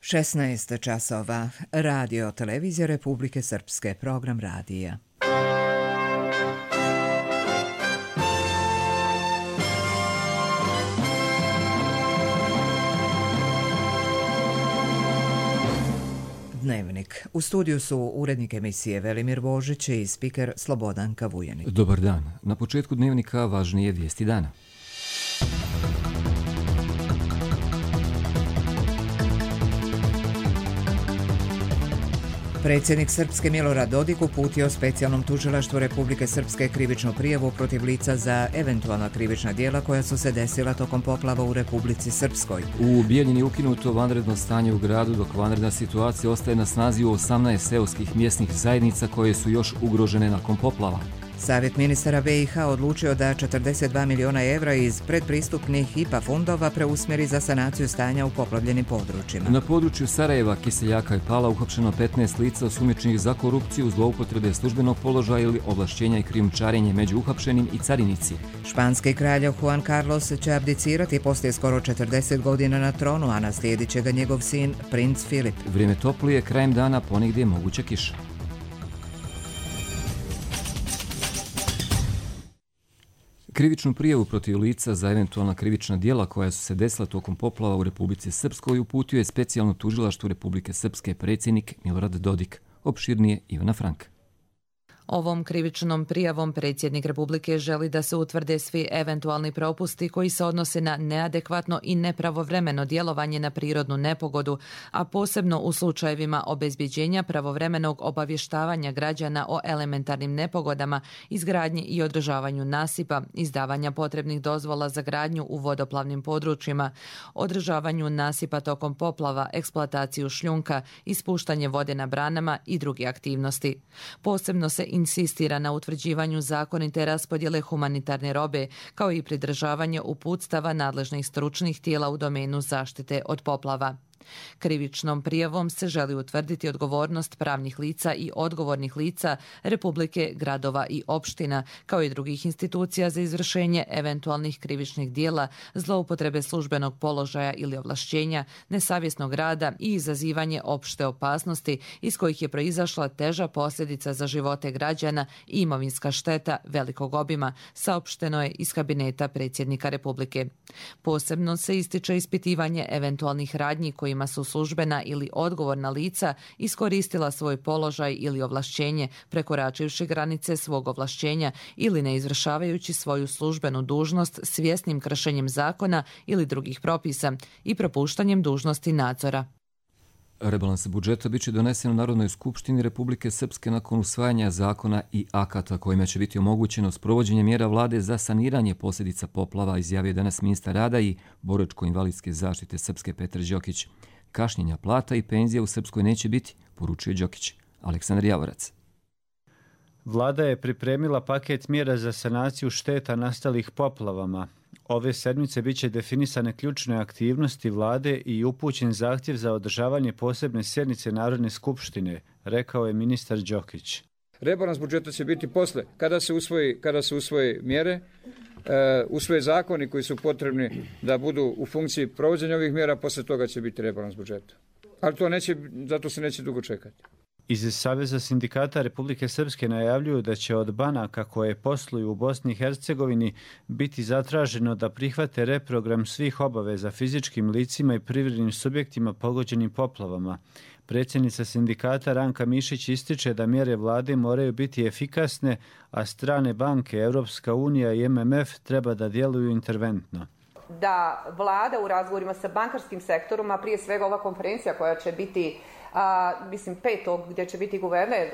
16 časova. Radio Televizija Republike Srpske. Program radija. Dnevnik. U studiju su urednik emisije Velimir Božić i spiker Slobodanka Vujanić. Dobar dan. Na početku dnevnika važnije vijesti dana. Predsjednik Srpske Milorad Dodik uputio specijalnom tužilaštvu Republike Srpske krivičnu prijavu protiv lica za eventualna krivična djela koja su se desila tokom poplava u Republici Srpskoj. U Bijeljini je ukinuto vanredno stanje u gradu, dok vanredna situacija ostaje na snazi u 18 seoskih mjesnih zajednica koje su još ugrožene nakon poplava. Savjet ministara BiH odlučio da 42 miliona evra iz predpristupnih IPA fondova preusmjeri za sanaciju stanja u poplavljenim područjima. Na području Sarajeva, Kiseljaka i Pala uhapšeno 15 lica osumnjičenih za korupciju, zloupotrebe službenog položaja ili ovlašćenja i krijumčarenje među uhapšenim i carinici. Španski kralj Juan Carlos će abdicirati poslije skoro 40 godina na tronu, a naslijedit će ga njegov sin, princ Filip. Vrijeme toplije, krajem dana ponegdje moguća kiša. Krivičnu prijavu protiv lica za eventualna krivična djela koja su se desila tokom poplava u Republici Srpskoj uputio je specijalno tužilaštvo Republike Srpske predsjednik Milorad Dodik. Opširnije Ivana Franka. Ovom krivičnom prijavom predsjednik Republike želi da se utvrde svi eventualni propusti koji se odnose na neadekvatno i nepravovremeno djelovanje na prirodnu nepogodu, a posebno u slučajevima obezbjeđenja pravovremenog obavještavanja građana o elementarnim nepogodama, izgradnji i održavanju nasipa, izdavanja potrebnih dozvola za gradnju u vodoplavnim područjima, održavanju nasipa tokom poplava, eksploataciju šljunka, ispuštanje vode na branama i druge aktivnosti. Posebno se insistira na utvrđivanju zakonite raspodjele humanitarne robe, kao i pridržavanje uputstava nadležnih stručnih tijela u domenu zaštite od poplava. Krivičnom prijavom se želi utvrditi odgovornost pravnih lica i odgovornih lica Republike, gradova i opština, kao i drugih institucija za izvršenje eventualnih krivičnih djela, zloupotrebe službenog položaja ili ovlašćenja, nesavjesnog rada i izazivanje opšte opasnosti iz kojih je proizašla teža posljedica za živote građana i imovinska šteta velikog obima, saopšteno je iz kabineta predsjednika Republike. Posebno se ističe ispitivanje eventualnih radnji kojima su službena ili odgovorna lica iskoristila svoj položaj ili ovlašćenje prekoračivši granice svog ovlašćenja ili ne izvršavajući svoju službenu dužnost svjesnim kršenjem zakona ili drugih propisa i propuštanjem dužnosti nadzora. Rebalans budžeta biće donesen u Narodnoj skupštini Republike Srpske nakon usvajanja zakona i akata kojima će biti omogućeno sprovođenje mjera vlade za saniranje posljedica poplava, izjavio danas ministar rada i boračko-invalidske zaštite Srpske Petar Đokić. Kašnjenja plata i penzija u Srpskoj neće biti, poručuje Đokić. Aleksandar Javorac. Vlada je pripremila paket mjera za sanaciju šteta nastalih poplavama. Ove sedmice biće definisane ključne aktivnosti vlade i upućen zahtjev za održavanje posebne sjednice Narodne skupštine, rekao je ministar Đokić. Rebalans budžeta će biti posle, kada se usvoje mjere, usvoje zakoni koji su potrebni da budu u funkciji provođenja ovih mjera, posle toga će biti rebalans budžeta. Ali zato se neće dugo čekati. Iz Saveza sindikata Republike Srpske najavljuju da će od banaka koje posluju u Bosni i Hercegovini biti zatraženo da prihvate reprogram svih obaveza fizičkim licima i privrednim subjektima pogođenim poplavama. Predsjednica sindikata Ranka Mišić ističe da mjere vlade moraju biti efikasne, a strane banke, Europska unija i MMF treba da djeluju interventno. Da vlada u razgovorima sa bankarskim sektorom, a prije svega ova konferencija koja će biti 5. gdje će biti guverner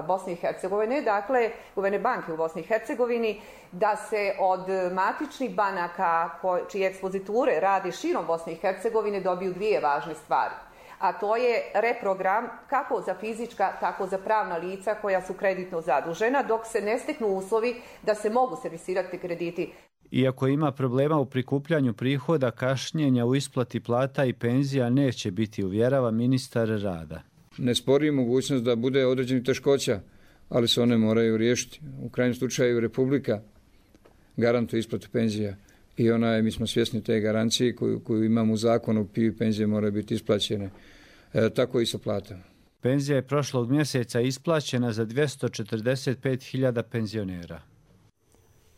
Bosne i Hercegovine, dakle guverner banke u Bosni i Hercegovini, da se od matičnih banaka čije ekspoziture radi širom Bosne i Hercegovine dobiju dvije važne stvari. A to je reprogram kako za fizička, tako za pravna lica koja su kreditno zadužena, dok se ne steknu uslovi da se mogu servisirati krediti. Iako ima problema u prikupljanju prihoda, kašnjenja u isplati plata i penzija neće biti, uvjerava ministar rada. Ne spori mogućnost da bude određenih teškoća, ali se one moraju riješiti. U krajnjem slučaju Republika garantuje isplatu penzija i mi smo svjesni te garancije koju imamo u zakonu, PIO penzije moraju biti isplaćene. Tako i sa platama. Penzija je prošlog mjeseca isplaćena za 245.000 penzionera.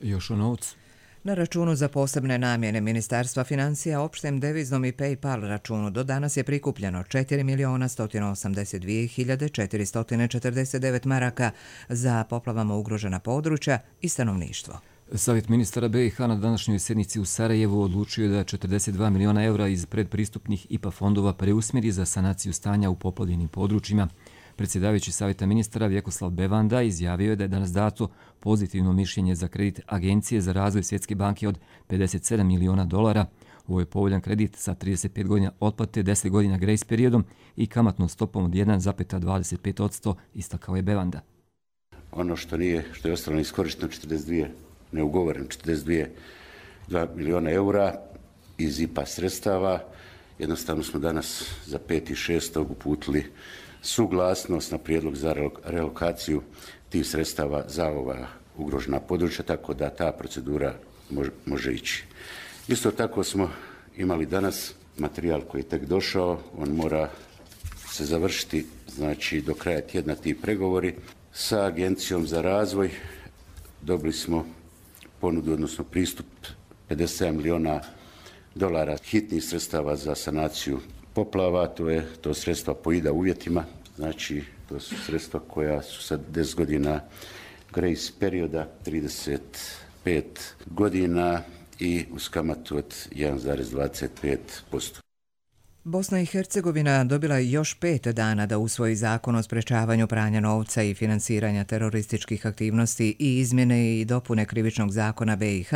Još o novcu. Na računu za posebne namjene Ministarstva financija, opštem deviznom i PayPal računu do danas je prikupljeno 4.182.449 maraka za poplavama ugrožena područja i stanovništvo. Savjet ministara BiH na današnjoj sjednici u Sarajevu odlučio da 42 miliona evra iz predpristupnih IPA fondova preusmjeri za sanaciju stanja u poplavljenim područjima. Predsjedavajući Savjeta ministara Vjekoslav Bevanda izjavio je da je danas dato pozitivno mišljenje za kredit Agencije za razvoj Svjetske banke od $57 miliona. Ovo je povoljan kredit sa 35 godina otplate, 10 godina grace periodom i kamatnom stopom od 1,25%, istakao je Bevanda. Ono što je ostalo iskorišteno 42 miliona eura iz IPA sredstava. Jednostavno smo danas za 5.6. uputili suglasnost na prijedlog za relokaciju tih sredstava za ova ugrožena područja, tako da ta procedura može ići. Isto tako smo imali danas materijal koji je tek došao, on mora se završiti, znači do kraja tjedna ti pregovori sa Agencijom za razvoj. Dobili smo ponudu, odnosno pristup $57 miliona hitnih sredstava za sanaciju poplava. To sredstva po IDA uvjetima, znači to su sredstva koja su sad 10 godina grace perioda, 35 godina i uz kamatu od 1,25%. Bosna i Hercegovina dobila je još 5 dana da usvoji zakon o sprečavanju pranja novca i finansiranja terorističkih aktivnosti i izmjene i dopune krivičnog zakona BiH,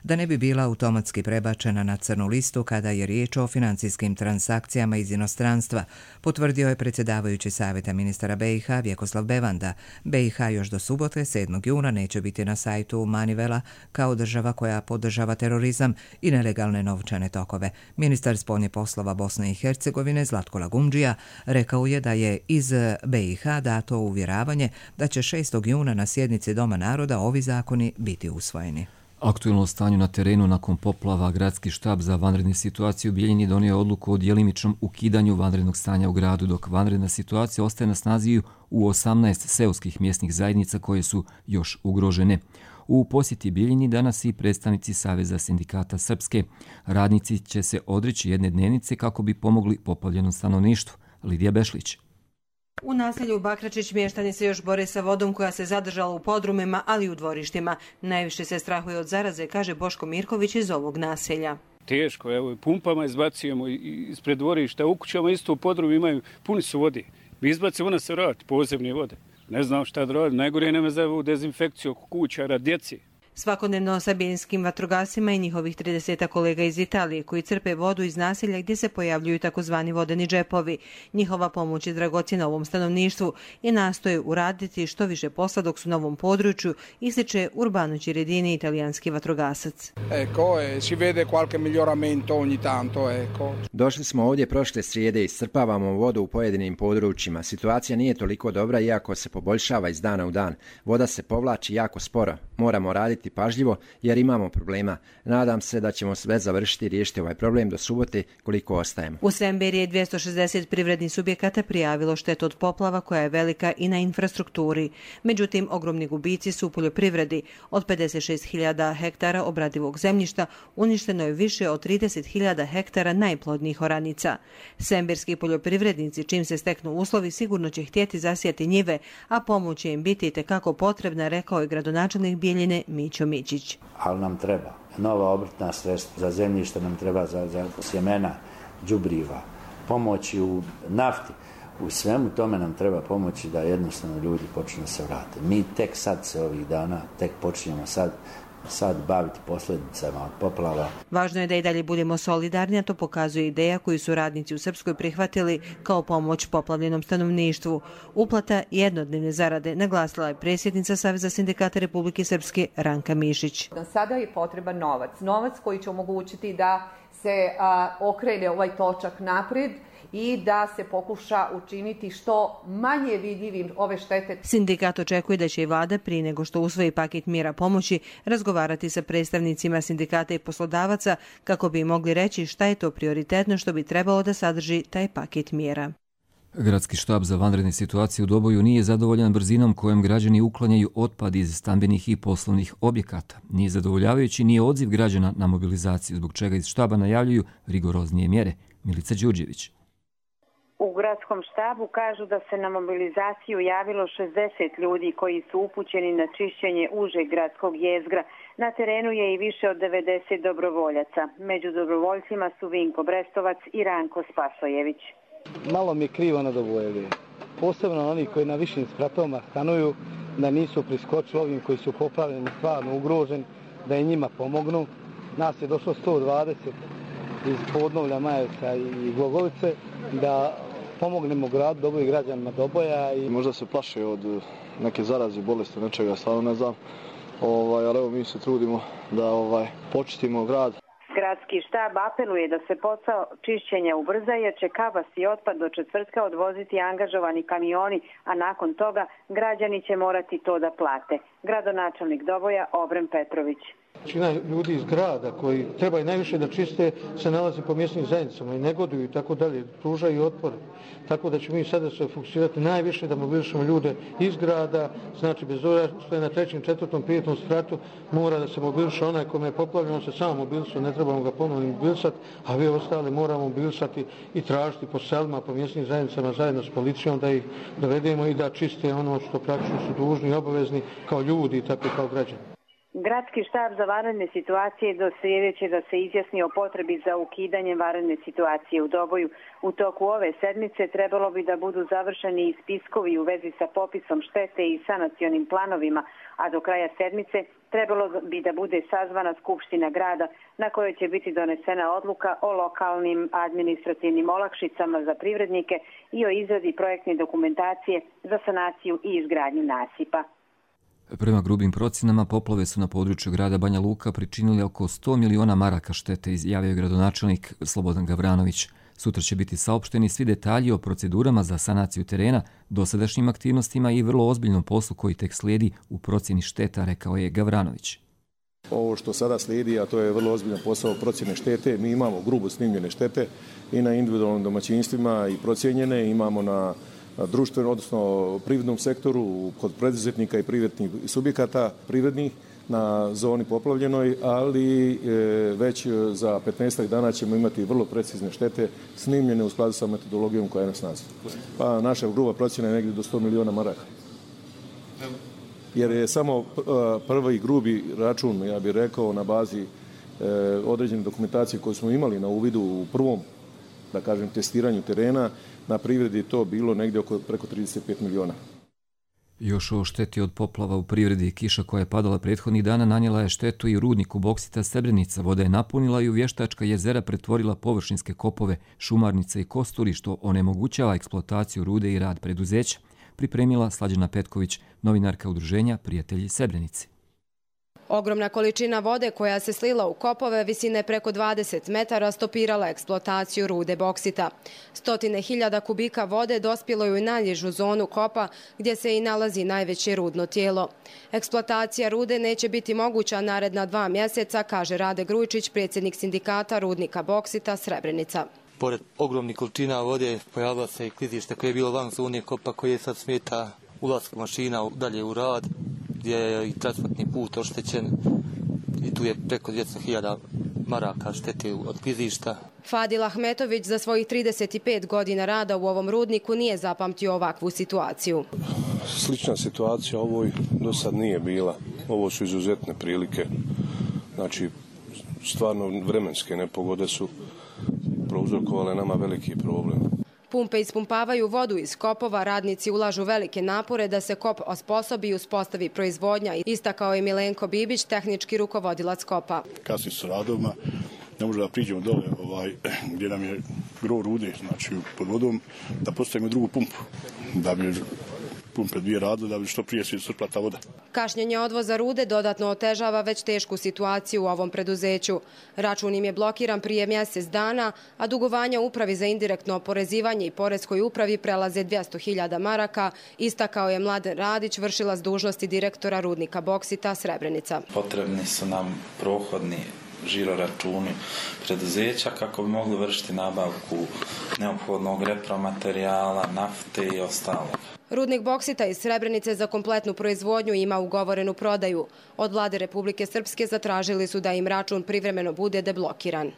da ne bi bila automatski prebačena na crnu listu kada je riječ o financijskim transakcijama iz inostranstva, potvrdio je predsjedavajući Savjeta ministara BiH Vjekoslav Bevanda. BiH još do subote 7. juna neće biti na sajtu Manivela kao država koja podržava terorizam i nelegalne novčane tokove. Ministar spoljnih poslova Bosne i Hercegovine Zlatko Lagumdžija rekao je da je iz BiH dato uvjeravanje da će 6. juna na sjednici Doma naroda ovi zakoni biti usvojeni. Aktuelno stanju na terenu nakon poplava Gradski štab za vanredne situacije u Bijeljini donio odluku o djelimičnom ukidanju vanrednog stanja u gradu, dok vanredna situacija ostaje na snazi u 18 seoskih mjesnih zajednica koje su još ugrožene. U posjeti Bijeljini danas i predstavnici Saveza sindikata Srpske. Radnici će se odreći jedne dnevnice kako bi pomogli poplavljenom stanovništvu. Lidija Bešlić. U naselju Bakračić mještani se još bore sa vodom koja se zadržala u podrumima, ali i u dvorištima. Najviše se strahuje od zaraze, kaže Boško Mirković iz ovog naselja. Teško, evo, pumpama izbacujemo ispred dvorišta, u kućama isto u podrumu imaju, puni su vode. Vi izbacimo, ona se vrati, pozemne vode. Ne znam šta da radim, najgore nema za ovu dezinfekciju oko kuća radi djeci. Svakodnevno sa bijeljskim vatrogasima i njihovih 30 kolega iz Italije koji crpe vodu iz naselja gdje se pojavljuju takozvani vodeni džepovi. Njihova pomoć je dragocjena ovom stanovništvu i nastoje uraditi što više posla dok su na ovom području, ističe Urbano Ciredini, italijanski vatrogasac. Si vede qualche miglioramento ogni tanto, ecco. Došli smo ovdje prošle srijede i iscrpavamo vodu u pojedinim područjima. Situacija nije toliko dobra iako se poboljšava iz dana u dan. Voda se povlači jako sporo. Moramo raditi pažljivo jer imamo problema. Nadam se da ćemo sve završiti i riješiti ovaj problem do subote koliko ostajemo. U Svemberi je 260 privrednih subjekata prijavilo štetu od poplava koja je velika i na infrastrukturi. Međutim, ogromni gubici su u poljoprivredi. Od 56.000 hektara obradivog zemljišta uništeno je više od 30.000 hektara najplodnijih oranica. Svemberski poljoprivrednici, čim se steknu uslovi, sigurno će htjeti zasijati njive, a pomoć će im biti itekako potrebna, rekao je gradonačelnik Bijeljine Mićo Mićić. Ali nam treba nova obrtna sredstva, za zemljište nam treba za sjemena, đubriva, pomoći u nafti. U svemu tome nam treba pomoći da jednostavno ljudi počnu se vrate. Mi tek sad se ovih dana, tek počinjemo sad baviti posljedicama od poplava. Važno je da i dalje budemo solidarni, a to pokazuje ideja koju su radnici u Srpskoj prihvatili kao pomoć poplavljenom stanovništvu. Uplata jednodnevne zarade, naglasila je predsjednica Saveza sindikata Republike Srpske Ranka Mišić. Sada je potreban novac koji će omogućiti da se okrene ovaj točak naprijed i da se pokuša učiniti što manje vidljivim ove štete. Sindikat očekuje da će i vlada prije nego što usvoji paket mjera pomoći razgovarati sa predstavnicima sindikata i poslodavaca kako bi mogli reći šta je to prioritetno što bi trebalo da sadrži taj paket mjera. Gradski štab za vanredne situacije u Doboju nije zadovoljan brzinom kojom građani uklanjaju otpad iz stambenih i poslovnih objekata. Nije zadovoljavajući ni odziv građana na mobilizaciju, zbog čega iz štaba najavljuju rigoroznije mjere. Milica Đurđević. U gradskom štabu kažu da se na mobilizaciju javilo 60 ljudi koji su upućeni na čišćenje užeg gradskog jezgra. Na terenu je i više od 90 dobrovoljaca. Među dobrovoljcima su Vinko Brestovac i Ranko Spasojević. Malo mi je krivo na Dobojevi. Posebno oni koji na višim spratovima stanuju, da nisu priskočili ovim koji su poplavljeni, stvarno ugroženi, da i njima pomognu. Nas je došlo 120 iz Podnovlja, Majevca i Glogovice, da pomognemo gradu Doboju i građanima Doboja. Možda se plaše od neke zaraze, bolesti, nečega, stvarno ne znam, ali evo mi se trudimo da počistimo grad. Gradski štab apeluje da se posao čišćenja ubrza jer će kabas i otpad do četvrtka odvoziti angažovani kamioni, a nakon toga građani će morati to da plate. Gradonačelnik Doboja Obren Petrović. Većina ljudi iz grada koji trebaju najviše da čiste se nalazi po mjesnim zajednicama i negoduju i tako dalje, pružaju otpor. Tako da ćemo mi sada se fokusirati najviše da mobilišemo ljude iz grada, znači bez obzira što je na 3., 4., 5. spratu mora da se mobiliše onaj kome je poplavljeno, se samo mobilisao, ne trebamo ga ponovno mobilisati, a vi ostali moramo mobilisati i tražiti po selima, po mjesnim zajednicama zajedno s policijom da ih dovedemo i da čiste ono što praktično su dužni i obavezni kao ljudi i tako kao građani. Gradski štab za vanredne situacije do srijede će da se izjasni o potrebi za ukidanjem vanredne situacije u Doboju. U toku ove sedmice trebalo bi da budu završeni i spiskovi u vezi sa popisom štete i sanacionim planovima, a do kraja sedmice trebalo bi da bude sazvana skupština grada na kojoj će biti donesena odluka o lokalnim administrativnim olakšicama za privrednike i o izradi projektne dokumentacije za sanaciju i izgradnju nasipa. Prema grubim procjenama, poplave su na području grada Banja Luka pričinili oko 100 miliona maraka štete, izjavio je gradonačelnik Slobodan Gavranović. Sutra će biti saopšteni svi detalji o procedurama za sanaciju terena, dosadašnjim aktivnostima i vrlo ozbiljnom poslu koji tek slijedi u procjeni šteta, rekao je Gavranović. Ovo što sada slijedi, a to je vrlo ozbiljan posao procjene štete, mi imamo grubo snimljene štete i na individualnim domaćinstvima i procijenjene, imamo na društvenom, odnosno privrednom sektoru, kod preduzetnika i privrednih subjekata privrednih na zoni poplavljenoj, ali već za 15 dana ćemo imati vrlo precizne štete snimljene u skladu sa metodologijom koja je na snazi. Pa naša gruba procjena je negdje do 100 miliona maraka. Jer je samo prvi grubi račun, ja bih rekao, na bazi određene dokumentacije koje smo imali na uvidu u prvom, da kažem, testiranju terena, na privredi je to bilo negdje preko 35 miliona. Još o šteti od poplava u privredi, kiša koja je padala prethodnih dana nanijela je štetu i u rudniku Boksita Srebrenica. Voda je napunila i u Vještačka jezera pretvorila površinske kopove, šumarnice i kosturi, što onemogućava eksploataciju rude i rad preduzeća, pripremila Slađana Petković, novinarka udruženja Prijatelji Srebrenici. Ogromna količina vode koja se slila u kopove visine preko 20 metara stopirala eksploataciju rude boksita. 100.000 kubika vode dospjelo je u najnižu zonu kopa gdje se i nalazi najveće rudno tijelo. Eksploatacija rude neće biti moguća naredna 2 mjeseca, kaže Rade Grujičić, predsjednik sindikata rudnika boksita Srebrenica. Pored ogromnih količina vode pojavilo se i klizište koje je bilo van zone kopa koje sad smeta ulazak mašina dalje u rad, gdje je i transportni put oštećen i tu je preko 200.000 maraka štete od klizišta. Fadil Ahmetović za svojih 35 godina rada u ovom rudniku nije zapamtio ovakvu situaciju. Slična situacija ovoj do sad nije bila. Ovo su izuzetne prilike. Znači, stvarno vremenske nepogode su prouzrokovale nama veliki problem. Pumpe ispumpavaju vodu iz kopova, radnici ulažu velike napore da se kop osposobi i uspostavi proizvodnja, istakao je Milenko Bibić, tehnički rukovodilac kopa. Kasni su radovima, ne možemo da priđemo dole gdje nam je gro rude, znači pod vodom, da postavimo drugu pumpu, da bi pumpe 2 radile da bi što prije se iscrpila ta voda. Kašnjenje odvoza rude dodatno otežava već tešku situaciju u ovom preduzeću. Račun im je blokiran prije mjesec dana, a dugovanja Upravi za indirektno oporezivanje i Poreskoj upravi prelaze 200.000 maraka, istakao je Mladen Radić, vršilac dužnosti direktora rudnika boksita Srebrenica. Potrebni su nam prohodni žiroračuni preduzeća kako bi mogli vršiti nabavku neophodnog repromaterijala, nafte i ostalog. Rudnik boksita iz Srebrenice za kompletnu proizvodnju ima ugovorenu prodaju. Od vlade Republike Srpske zatražili su da im račun privremeno bude deblokiran.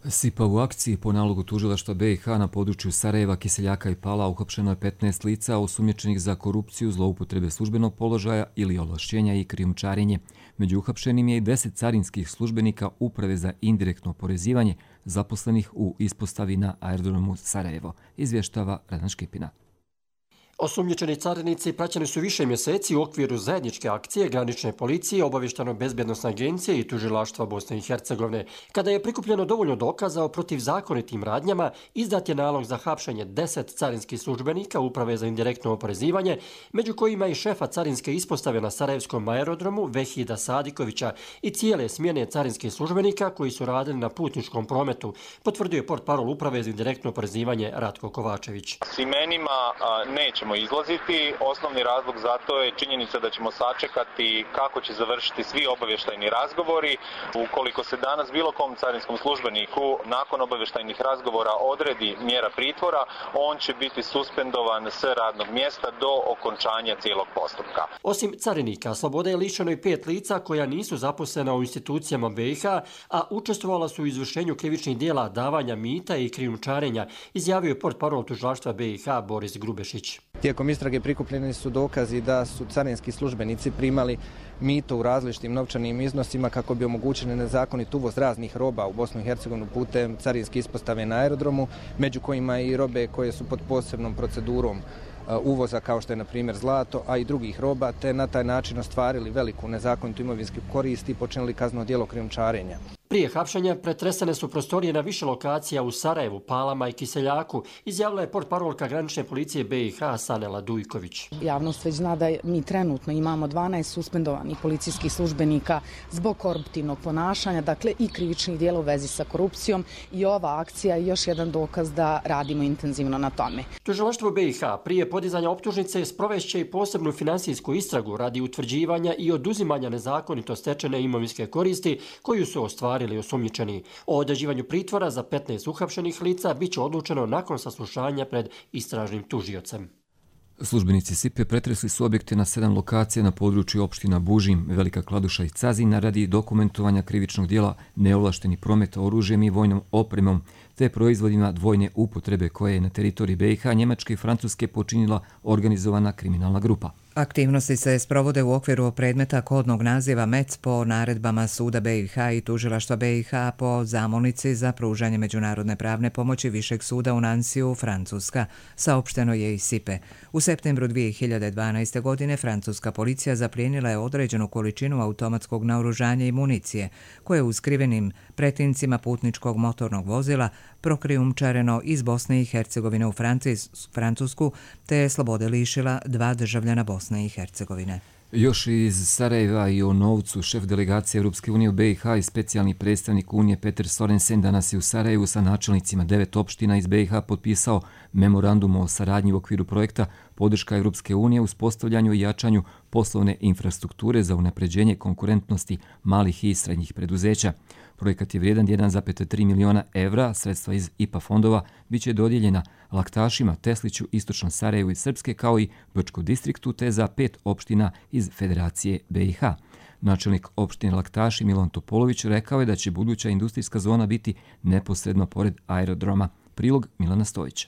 SIPA u akciji po nalogu tužilaštva BiH na području Sarajeva, Kiseljaka i Pala uhapšeno je 15 lica osumnjičenih za korupciju, zloupotrebe službenog položaja ili ovlašćenja i krijumčarenje. Među uhapšenim je i 10 carinskih službenika Uprave za indirektno oporezivanje zaposlenih u ispostavi na aerodromu Sarajevo, izvještava Radan Škipina. Osumnjičeni carinici praćeni su više mjeseci u okviru zajedničke akcije granične policije, obavještajno-bezbjednosne agencije i tužilaštva Bosne i Hercegovine. Kada je prikupljeno dovoljno dokaza o protivzakonitim radnjama, izdat je nalog za hapšenje 10 carinskih službenika Uprave za indirektno oporezivanje, među kojima i šefa carinske ispostave na Sarajevskom aerodromu Vehida Sadikovića i cijele smjene carinskih službenika koji su radili na putničkom prometu, potvrdio je portparol Uprave za indirektno oporezivanje Ratko Kovačević. S imenima nećemo izlaziti. Osnovni razlog za to je činjenica da ćemo sačekati kako će završiti svi obavještajni razgovori. Ukoliko se danas bilo kom carinskom službeniku nakon obavještajnih razgovora odredi mjera pritvora, on će biti suspendovan s radnog mjesta do okončanja cijelog postupka. Osim carinika, slobode je lišeno i 5 lica koja nisu zaposlena u institucijama BiH, a učestvovala su u izvršenju krivičnih dijela davanja mita i krijumčarenja, izjavio je portparol tužilaštva BiH Boris Grubešić. Tijekom istrage prikupljeni su dokazi da su carinski službenici primali mito u različitim novčanim iznosima kako bi omogućili nezakonit uvoz raznih roba u Bosnu i Hercegovinu putem carinske ispostave na aerodromu, među kojima i robe koje su pod posebnom procedurom uvoza kao što je na primjer zlato, a i drugih roba, te na taj način ostvarili veliku nezakonitu imovinsku korist i počinili kazneno djelo krijumčarenja. Prije hapšenja pretresene su prostorije na više lokacija u Sarajevu, Palama i Kiseljaku, izjavila je portparolka granične policije BiH Sanela Dujković. Javnost već zna da mi trenutno imamo 12 suspendovanih policijskih službenika zbog koruptivnog ponašanja, dakle i krivičnih djela u vezi sa korupcijom, i ova akcija je još jedan dokaz da radimo intenzivno na tome. Tužilaštvo BiH prije podizanja optužnice sprovešće i posebnu finansijsku istragu radi utvrđivanja i oduzimanja nezakonito stečene imovinske koristi koju su ostvarili ili osumnjičeni. O određivanju pritvora za 15 uhapšenih lica bit će odlučeno nakon saslušanja pred istražnim tužiocem. Službenici SIPE pretresli su objekte na 7 lokacija na području opština Bužim, Velika Kladuša i Cazina radi dokumentovanja krivičnog dijela neovlašteni promet oružjem i vojnom opremom te proizvodima dvojne upotrebe koje je na teritoriji BiH, Njemačke i Francuske počinila organizovana kriminalna grupa. Aktivnosti se sprovode u okviru predmeta kodnog naziva MEC po naredbama Suda BiH i Tužilaštva BiH po zamolnici za pružanje međunarodne pravne pomoći Višeg suda u Nansiju, Francuska, saopšteno je i SIPE. U septembru 2012. godine francuska policija zaplijenila je određenu količinu automatskog naoružanja i municije, koje je u skrivenim pretincima putničkog motornog vozila prokrijumčareno iz Bosne i Hercegovine u Francusku, te je slobode lišila 2 državljana Bosne i Hercegovine. Još iz Sarajeva i o novcu šef delegacije Europske unije u BiH i specijalni predstavnik Unije Peter Sorensen danas je u Sarajevu sa načelnicima 9 opština iz BiH potpisao memorandum o saradnji u okviru projekta podrška Europske unije u uspostavljanju i jačanju poslovne infrastrukture za unapređenje konkurentnosti malih i srednjih preduzeća. Projekat je vrijedan 1,3 miliona evra, sredstva iz IPA fondova biće dodijeljena Laktašima, Tesliću, Istočnom Sarajevu i Srpske kao i Brčkom distriktu te za 5 opština iz Federacije BiH. Načelnik opštine Laktaši Milan Topolović rekao je da će buduća industrijska zona biti neposredno pored aerodroma. Prilog Milana Stojića.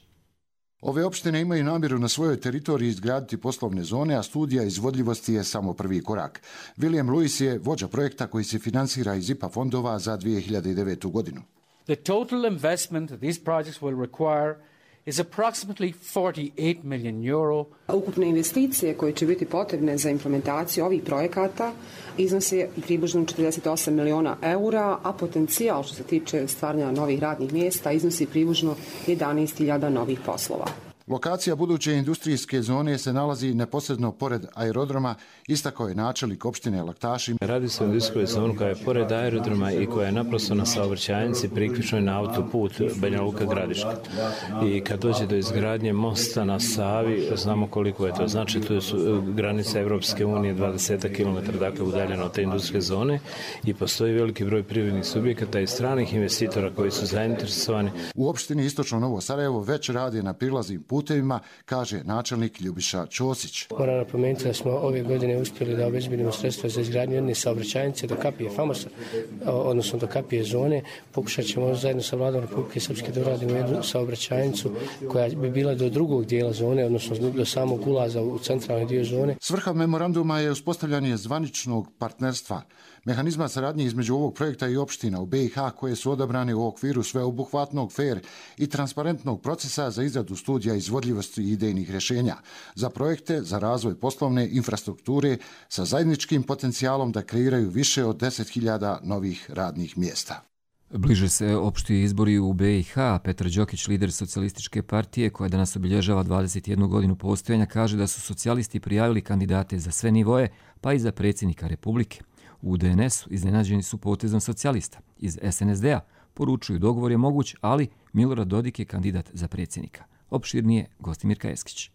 Ove opštine imaju namjeru na svojoj teritoriji izgraditi poslovne zone, a studija izvodljivosti je samo prvi korak. William Lewis je vođa projekta koji se finansira iz IPA fondova za 2009. godinu. The total investment these projects will require is approximately 48 million euro. Ukupne investicije koje će biti potrebne za implementaciju ovih projekata iznose približno 48 miliona eura, a potencijal što se tiče stvaranja novih radnih mjesta iznosi približno 11.000 novih poslova. Lokacija buduće industrijske zone se nalazi neposredno pored aerodroma, istakao je načelnik opštine Laktaši. Radi se o industrijskoj zoni koja je pored aerodroma i koja je naprosto na saobraćajnici priključnoj na autoput Banja Luka Gradiška. I kad dođe do izgradnje mosta na Savi, znamo koliko je to. Znači, tu su granice Evropske unije 20 km, dakle udaljeno od te industrijske zone i postoji veliki broj privrednih subjekata i stranih investitora koji su zainteresovani. U opštini Istočno Novo Sarajevo već radi na prilaznim putevima, kaže načelnik Ljubiša Ćosić. Moram napomenuti da smo ove godine uspjeli da obezbedimo sredstva za izgradnju jedne saobraćajnice do Kapije Famosa, odnosno do Kapije zone. Pokušat ćemo zajedno sa vladom Republike Srpske da uradimo jednu saobraćajnicu koja bi bila do drugog dijela zone, odnosno do samog ulaza u centralni dio zone. Svrha memoranduma je uspostavljanje zvaničnog partnerstva, mehanizma saradnje između ovog projekta i opština u BiH koje su odabrane u okviru sveobuhvatnog, fer i transparentnog procesa za izradu studija izvodljivosti i idejnih rješenja za projekte za razvoj poslovne infrastrukture sa zajedničkim potencijalom da kreiraju više od 10.000 novih radnih mjesta. Bliže se opšti izbori u BiH. Petar Đokić, lider socijalističke partije koja danas obilježava 21 godinu postojanja, kaže da su socijalisti prijavili kandidate za sve nivoje, pa i za predsjednika Republike. U DNS-u iznenađeni su potezom socijalista. Iz SNSD-a poručuju dogovor je moguć, ali Milorad Dodik je kandidat za predsjednika. Opširnije Gostimir Kajeskić.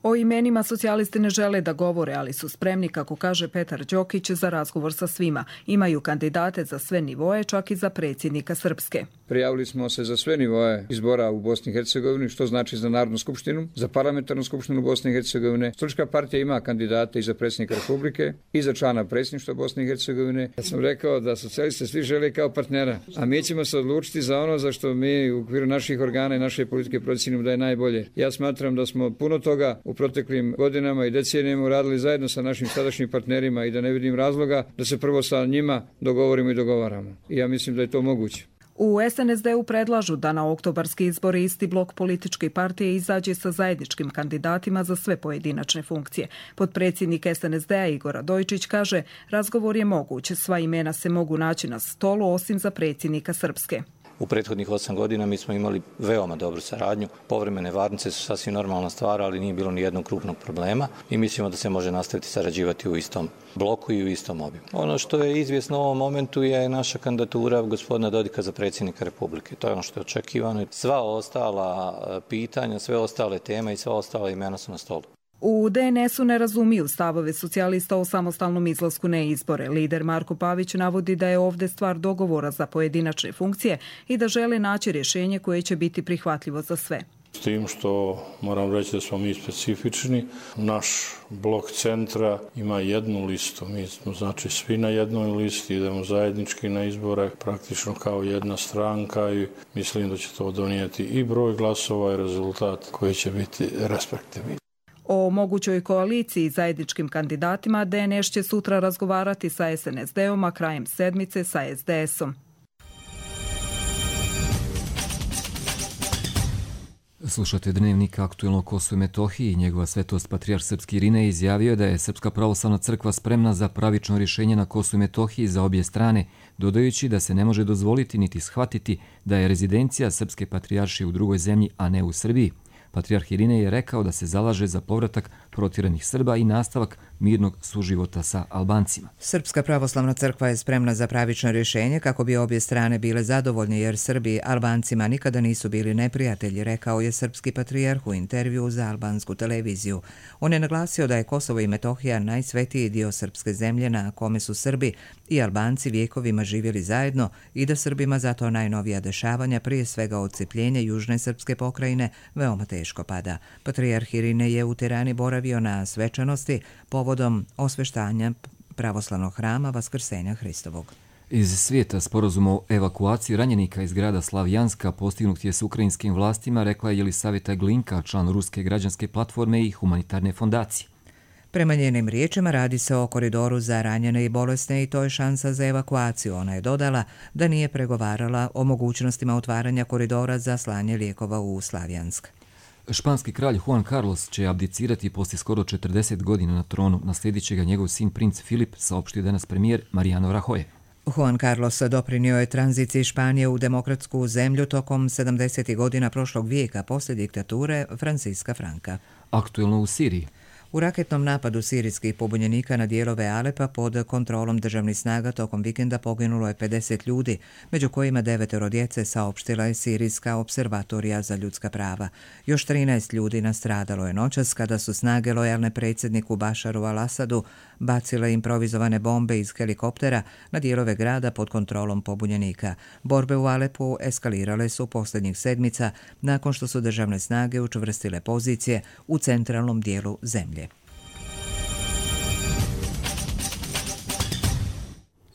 O imenima socijalisti ne žele da govore, ali su spremni, kako kaže Petar Đokić, za razgovor sa svima. Imaju kandidate za sve nivoje, čak i za predsjednika Srpske. Prijavili smo se za sve nivoje izbora u Bosni i Hercegovini, što znači za Narodnu skupštinu, za parlamentarnu skupštinu Bosne i Hercegovine. Socijalistička partija ima kandidate i za predsjednika Republike i za člana predsjedništva Bosne i Hercegovine. Ja sam rekao da socijalisti svi žele kao partnera, a mi ćemo se odlučiti za ono za što mi u okviru naših organa i naše politike procjenimo da je najbolje. Ja smatram da smo puno toga u proteklim godinama i decenijama uradili zajedno sa našim sadašnjim partnerima i da ne vidim razloga da se prvo sa njima dogovorimo i dogovaramo. I ja mislim da je to moguće. U SNSD-u predlažu da na oktobarski izbori isti blok političke partije izađe sa zajedničkim kandidatima za sve pojedinačne funkcije. Potpredsjednik SNSD-a Igor Radojčić kaže, razgovor je moguć, sva imena se mogu naći na stolu osim za predsjednika Srpske. U prethodnih 8 godina mi smo imali veoma dobru saradnju. Povremene varnice su sasvim normalna stvar, ali nije bilo ni jednog krupnog problema i mislimo da se može nastaviti sarađivati u istom bloku i u istom obimu. Ono što je izvjesno u ovom momentu je naša kandidatura gospodina Dodika za predsjednika Republike. To je ono što je očekivano. Sva ostala pitanja, sve ostale teme i sva ostala imena su na stolu. U DNS-u ne razumiju stavove socijalista o samostalnom izlasku na izbore. Lider Marko Pavić navodi da je ovdje stvar dogovora za pojedinačne funkcije i da žele naći rješenje koje će biti prihvatljivo za sve. S tim što moram reći da smo mi specifični. Naš blok centra ima jednu listu. Mi smo znači svi na jednoj listi, idemo zajednički na izbore, praktično kao jedna stranka i mislim da će to donijeti i broj glasova i rezultat koji će biti respektivni. O mogućoj koaliciji zajedničkim kandidatima DNS će sutra razgovarati sa SNSD-om, a krajem sedmice sa SDS-om. Slušate Dnevnik aktuelno o Kosovu i Metohiji. Njegova svetost patrijarh srpski Irinej izjavio da je Srpska pravoslavna crkva spremna za pravično rješenje na Kosovu i Metohiji za obje strane, dodajući da se ne može dozvoliti niti shvatiti da je rezidencija srpske patrijaršije u drugoj zemlji, a ne u Srbiji. Patrijarh Irinej je rekao da se zalaže za povratak protjeranih Srba i nastavak mirnog suživota sa Albancima. Srpska pravoslavna crkva je spremna za pravično rješenje kako bi obje strane bile zadovoljne jer Srbi Albancima nikada nisu bili neprijatelji, rekao je srpski patrijarh u intervju za albansku televiziju. On je naglasio da je Kosovo i Metohija najsvetiji dio srpske zemlje na kome su Srbi i Albanci vjekovima živjeli zajedno i da Srbima zato najnovija dešavanja, prije svega odcepljenje južne srpske pokrajine, veoma teško pada. Patrijarh Irinej je u Tirani boravio na svečanosti povodom osveštanja pravoslavnog hrama Vaskrsenja Hristovog. Iz svijeta sporazum o evakuaciji ranjenika iz grada Slavjanska postignut je s ukrajinskim vlastima, rekla je Jelisaveta Glinka, član Ruske građanske platforme i humanitarne fondacije. Prema njenim riječima radi se o koridoru za ranjene i bolesne i to je šansa za evakuaciju. Ona je dodala da nije pregovarala o mogućnostima otvaranja koridora za slanje lijekova u Slavjansk. Španski kralj Juan Carlos će abdicirati poslije skoro 40 godina na tronu. Naslijedit će ga njegov sin princ Filip, saopštio danas premijer Mariano Rajoy. Juan Carlos doprinio je tranziciji Španije u demokratsku zemlju tokom 70. godina prošlog vijeka poslije diktature Franciska Franka. Aktuelno u Siriji. U raketnom napadu sirijskih pobunjenika na dijelove Alepa pod kontrolom državnih snaga tokom vikenda poginulo je 50 ljudi, među kojima 9 djece, saopštila je Sirijska observatorija za ljudska prava. Još 13 ljudi nastradalo je noćas kada su snage lojalne predsjedniku Bašaru al-Asadu bacile improvizovane bombe iz helikoptera na dijelove grada pod kontrolom pobunjenika. Borbe u Alepu eskalirale su posljednjih sedmica nakon što su državne snage učvrstile pozicije u centralnom dijelu zemlje.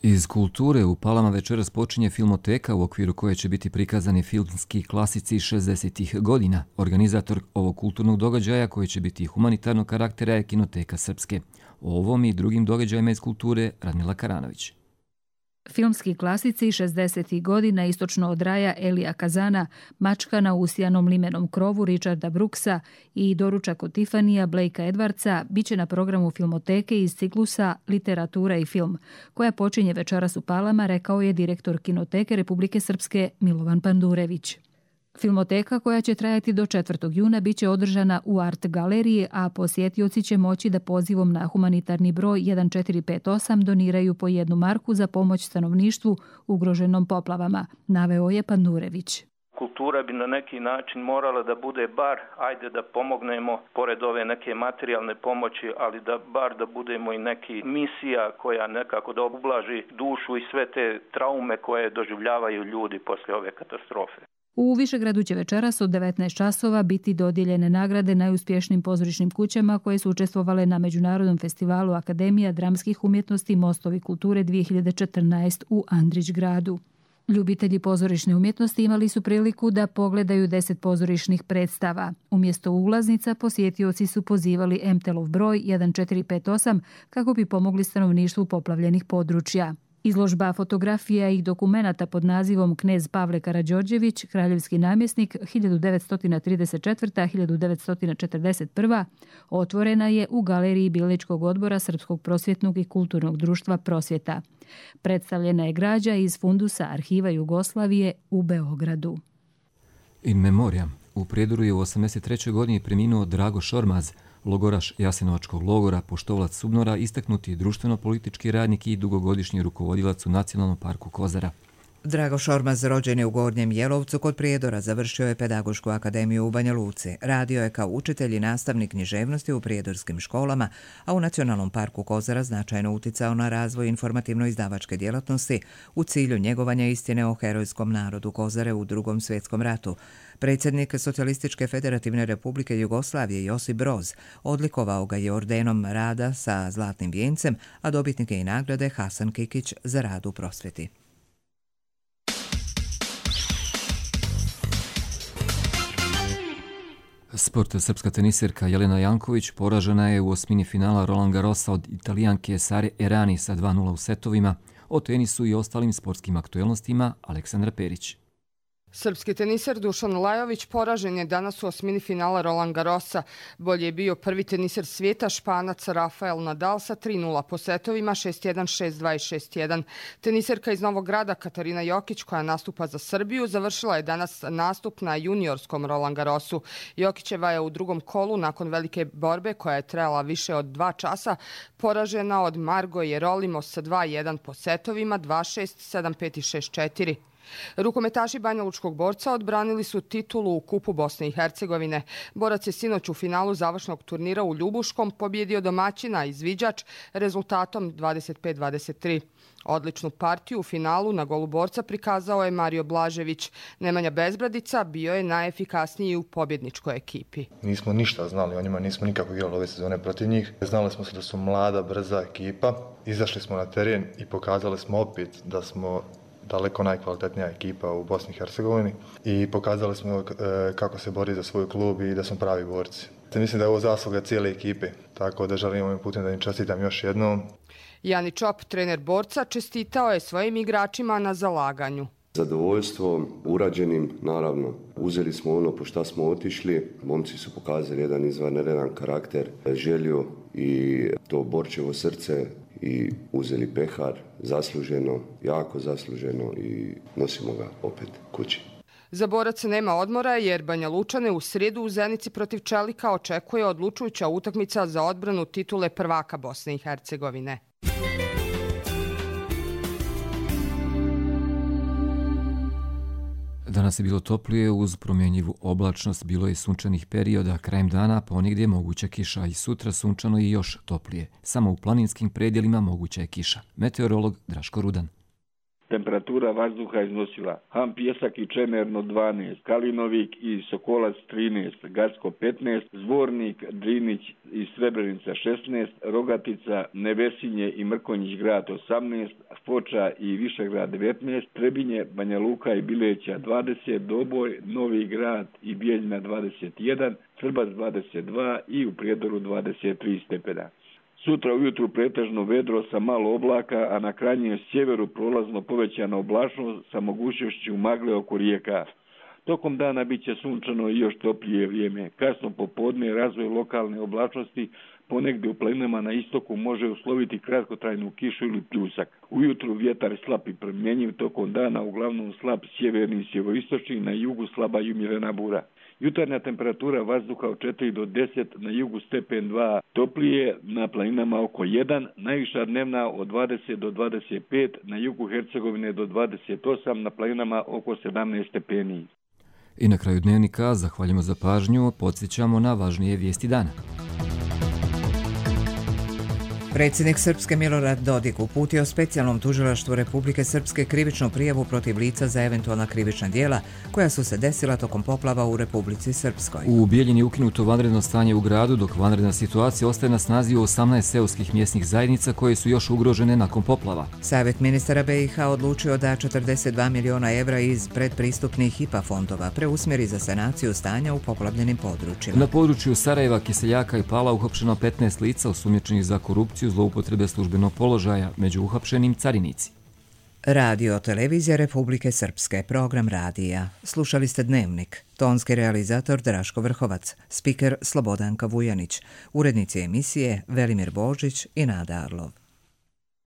Iz kulture u Palama večeras počinje filmoteka u okviru koje će biti prikazani filmski klasici 60. godina. Organizator ovog kulturnog događaja koji će biti humanitarnog karaktera je Kinoteka Srpske. O ovom i drugim događajima iz kulture Radmila Karanović. Filmski klasici 60. godina istočno od raja Elija Kazana, Mačka na usijanom limenom krovu Richarda Brooksa i Doručak od Tifanija Blakea Edwardsa biće na programu filmoteke iz ciklusa Literatura i film, koja počinje večeras u Palama, rekao je direktor Kinoteke Republike Srpske Milovan Pandurević. Filmoteka koja će trajati do 4. juna biće održana u Art galeriji, a posjetioci će moći da pozivom na humanitarni broj 1458 doniraju po 1 marku za pomoć stanovništvu ugroženom poplavama, naveo je Pandurević. Kultura bi na neki način morala da bude bar, ajde da pomognemo, pored ove neke materijalne pomoći, ali da budemo i neki misija koja nekako da ublaži dušu i sve te traume koje doživljavaju ljudi poslije ove katastrofe. U Višegradu će večeras od 19 časova biti dodijeljene nagrade najuspješnijim pozorišnim kućama koje su učestvovale na Međunarodnom festivalu Akademija dramskih umjetnosti Mostovi kulture 2014 u Andrićgradu. Ljubitelji pozorišne umjetnosti imali su priliku da pogledaju 10 pozorišnih predstava. Umjesto ulaznica posjetioci su pozivali MTEL-ov broj 1458 kako bi pomogli stanovništvu poplavljenih područja. Izložba fotografija i dokumenata pod nazivom Knez Pavle Karađorđević, kraljevski namjesnik 1934-1941, otvorena je u galeriji Biličkog odbora Srpskog prosvjetnog i kulturnog društva Prosvjeta. Predstavljena je građa iz fundusa Arhiva Jugoslavije u Beogradu. In memoriam. U Prijedoru je u 83. godini preminuo Drago Šormaz, logoraš Jasenovačkog logora, poštovalac SUBNOR-a, istaknuti društveno-politički radnik i dugogodišnji rukovodilac u Nacionalnom parku Kozara. Drago Šormaz rođen je u Gornjem Jelovcu kod Prijedora, završio je Pedagošku akademiju u Banja Luci. Radio je kao učitelj i nastavnik književnosti u prijedorskim školama, a u Nacionalnom parku Kozara značajno uticao na razvoj informativno-izdavačke djelatnosti u cilju njegovanja istine o herojskom narodu Kozare u Drugom svjetskom ratu. Predsjednik Socijalističke federativne republike Jugoslavije Josip Broz odlikovao ga je ordenom rada sa zlatnim vijencem, a dobitnik je i nagrade Hasan Kikić za rad u prosvjeti. Sport. Srpska teniserka Jelena Janković poražena je u osmini finala Roland Garrosa od Italijanke Sare Errani sa 2:0 u setovima. O tenisu i ostalim sportskim aktuelnostima Aleksandra Perić. Srpski teniser Dušan Lajović poražen je danas u osmini finala Roland Garrosa. Bolje je bio prvi teniser svijeta Španac Rafael Nadal sa 3:0 po setovima 6:1, 6:2 i 6:1. Teniserka iz Novog Grada Katarina Jokić, koja nastupa za Srbiju, završila je danas nastup na juniorskom Roland Garrosu. Jokićeva je u drugom kolu nakon velike borbe koja je trajala više od 2 časa poražena od Margo Jerolimo sa 2:1 po setovima 2:6, 7:5 i 6:4. Rukometaši banjalučkog borca odbranili su titulu u Kupu Bosne i Hercegovine. Borac je sinoć u finalu završnog turnira u Ljubuškom pobjedio domaćina Izviđač rezultatom 25-23. Odličnu partiju u finalu na golu borca prikazao je Mario Blažević. Nemanja Bezbradica bio je najefikasniji u pobjedničkoj ekipi. Nismo ništa znali o njima, nismo nikako igrali ove sezone protiv njih. Znali smo se da su mlada, brza ekipa. Izašli smo na teren i pokazali smo opet da smo daleko najkvalitetnija ekipa u Bosni i Hercegovini i pokazali smo kako se bori za svoj klub i da smo pravi borci. Mislim da je ovo zasluga cijele ekipe, tako da želim ovim putem da im čestitam još jednom. Jani Čop, trener borca, čestitao je svojim igračima na zalaganju. Zadovoljstvo urađenim, naravno. Uzeli smo ono po šta smo otišli. Momci su pokazali jedan izvanredan karakter, želju i to borčevo srce i uzeli pehar zasluženo, jako zasluženo i nosimo ga opet kući. Za boraca nema odmora jer Banja Lučane u srijedu u Zenici protiv Čelika očekuje odlučujuća utakmica za odbranu titule prvaka Bosne i Hercegovine. Danas je bilo toplije, uz promjenjivu oblačnost, bilo je sunčanih perioda, krajem dana ponigdje moguća kiša i sutra sunčano i još toplije. Samo u planinskim predjelima moguća je kiša. Meteorolog Draško Rudan. Temperatura vazduha iznosila Ham Pjesak i Čemerno 12, Kalinovik i Sokolac 13, Gacko 15, Zvornik, Drinić i Srebrenica 16, Rogatica, Nevesinje i Mrkonjić grad 18, Foča i Višegrad 19, Trebinje, Banja Luka i Bileća 20, Doboj, Novi grad i Bijeljina 21, Srbac 22 i u Prijedoru 23 stepena. Sutra ujutru pretežno vedro sa malo oblaka, a na krajnjem sjeveru prolazno povećana oblačnost sa mogućnošću magle oko rijeka. Tokom dana bit će sunčano i još toplije vrijeme. Kasno popodne razvoj lokalne oblačnosti ponegdje u planinama na istoku može usloviti kratkotrajnu kišu ili pljusak. Ujutru vjetar slab i promjenjiv, tokom dana uglavnom slab sjeverni i sjeveroistočni, na jugu slaba i umjerena bura. Jutarnja temperatura vazduha od 4 do 10, na jugu stepen 2 toplije, na planinama oko 1, najviša dnevna od 20 do 25, na jugu Hercegovine do 28, na planinama oko 17 stepeni. I na kraju dnevnika zahvaljujemo za pažnju, podsjećamo na važnije vijesti dana. Predsjednik Srpske Milorad Dodik uputio specijalnom tužilaštvu Republike Srpske krivičnu prijavu protiv lica za eventualna krivična djela koja su se desila tokom poplava u Republici Srpskoj. U Bijeljini je ukinuto vanredno stanje u gradu, dok vanredna situacija ostaje na snazi u 18 seoskih mjesnih zajednica koje su još ugrožene nakon poplava. Savjet ministara BiH odlučio da 42 miliona evra iz predpristupnih IPA fondova preusmjeri za sanaciju stanja u poplavljenim područjima. Na području Sarajeva, Kiseljaka i Pala uhapšeno 15 lica osumnjičenih za korupciju, zloupotrebe službenog položaja, među uhapšenim carinici. Radio televizija Republike Srpske, program radija. Slušali ste Dnevnik. Tonski realizator Draško Vrhovac, spiker Slobodanka Vujanić, urednici emisije Velimir Božić i Nada Arlov.